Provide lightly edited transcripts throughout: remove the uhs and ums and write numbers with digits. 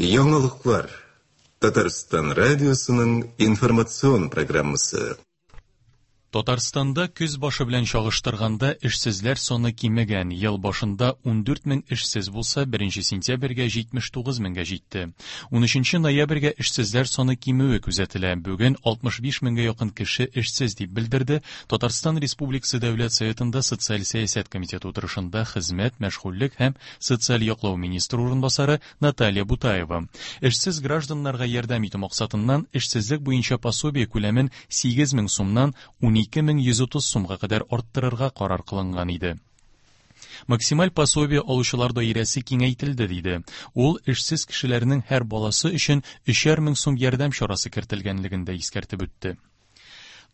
Яңалыклар. Татарстан радиосының информацион программасы. Татарстанда көз башы белән чагыштырганда эшсезләр саны кимегән. Ел башында 14 мең эшсез булса, 1 сентябрьгә 79 меңгә җитте. 13 ноябрьгә эшсезләр саны кимүе күзәтелә. Бүген 65 меңгә якын кеше эшсез, дип белдерде Татарстан Республикасы Дәүләт Советында Социаль сәясәт комитеты утырышында хезмәт, мәшгульлек һәм социаль яклау министры урынбасары Наталья Бутаева. Эшсез гражданнарга ярдәм итү максатыннан эшсезлек буенча пособие күләмен 8 мең сумнан 12 130 сумга кадәр арттырырга карар кылынган иде. Максималь пособие алучылар даирәсе киңәйтелде, диде. Ул эшсез кешеләрнең һәр баласы өчен 3 мең сум ярдәм чарасы кертелгәнлеген дә искәртеп үтте.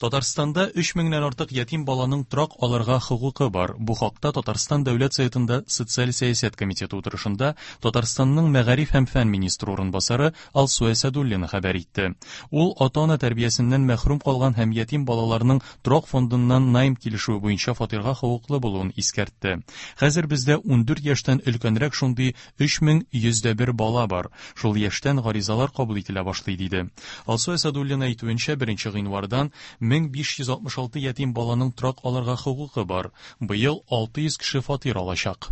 Татарстанда 3 меңнән артык ятим баланың торак алырга хокукы бар. Бу хакта Татарстан Дәүләт Советында Социаль сәясәт комитеты утырышында Татарстанның мәгариф һәм фән министры урынбасары Алсу Әсәдуллина хәбәр итте. Ул ата-ана тәрбиясеннән мәхрүм калган һәм ятим балаларның торак фондыннан найм килешүе буенча фатирга хокуклы булуын искәртте. Хәзер бездә 14 яшьтән өлкәнрәк шундый 3101 бала бар. Шул яшьтән гаризалар кабул ителә башлый, диде. Алсу Әсәдуллина әйтүенчә, 1 гыйнвардан 1566 ятим баланың торак алырга хокукы бар. Быел 600 кеше фатир алачак.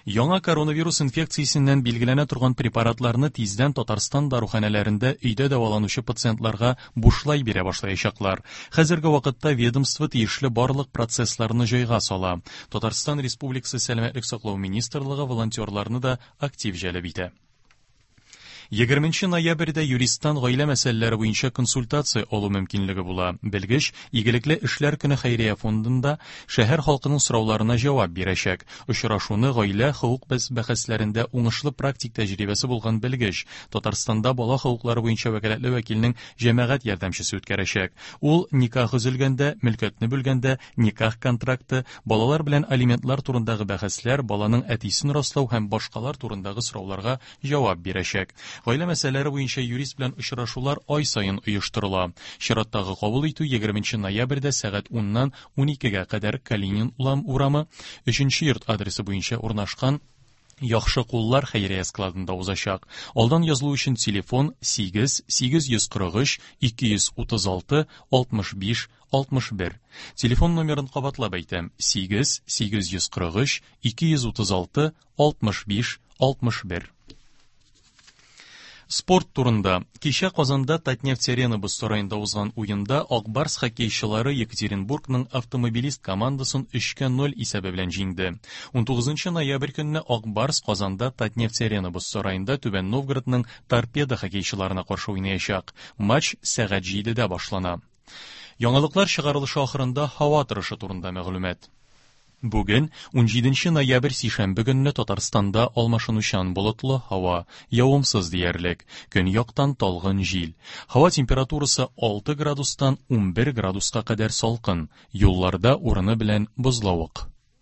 Яңа коронавирус инфекциясеннән билгеләнә торган препаратларны тиздән Татарстан даруханәләрендә өйдә дәваланучы пациентларга бушлай бирә башлаячаклар. Хәзерге вакытта ведомство тиешле барлык процессларны җайга сала. Татарстан Республикасы Сәламәтлек саклау министрлыгы волонтерларны да актив җәлеп итә. 20 ноябрьдә юристтан гаилә мәсьәләләре буенча консультация алу мөмкинлеге була. Белгеч Игелекле эшләр көне хәйрия фондында шәһәр халкының сорауларына җавап бирәчәк. Очрашуны гаилә хокук бәхәсләрендә уңышлы практик тәҗрибәсе булган белгеч, Татарстанда бала хокуклары буенча вәкаләтле вәкилнең җәмәгать ярдәмчесе үткәрәчәк. Ул никах өзелгәндә, мөлкәтне бүлгәндә, никах контракты, балалар белән алиментлар турындагы бәхәсләр, баланың әтисен раслау һәм башкалар турындагы сорауларга җавап бирәчәк. Гаилә мәсьәләләре буенча юрист белән очрашулар ай саен оештырыла. Чираттагы кабул итү 20 ноябрьдә сәгать 10-нан 12-гә кадәр Калинин урамы 3 йорт адресы буенча урнашкан Яхшы куллар хәйрия складында узачак. Алдан язылу өчен телефон 8 843 236 65 61. Телефон номерын кабатлап әйтәм: 8 843 236 65 61. Спорт турында. Кичә Казанда Татнефть-Арена боз сараенда узган уенда Ак Барс хоккейчылары Екатеринбургның Автомобилист командасын 3-0 исәбе белән җиңде. 19 ноябрь көнне Ак Барс Казанда Татнефть-Арена боз сараенда Түбән Новгородның Торпедо хоккейчыларына каршы уйнаячак. Матч сәгать 7-дә башлана. Яңалыклар чыгарылышы ахырында һава торышы турында мәгълүмат. Бүген, 17 ноябрь сишәмбе көнне Татарстанда алмашынучан болытлы һава, явымсыз диярлек, көньяктан талгын җил. Һава температурасы 6 градустан 11 градуска кадәр салкын, юлларда урыны белән бозлавык.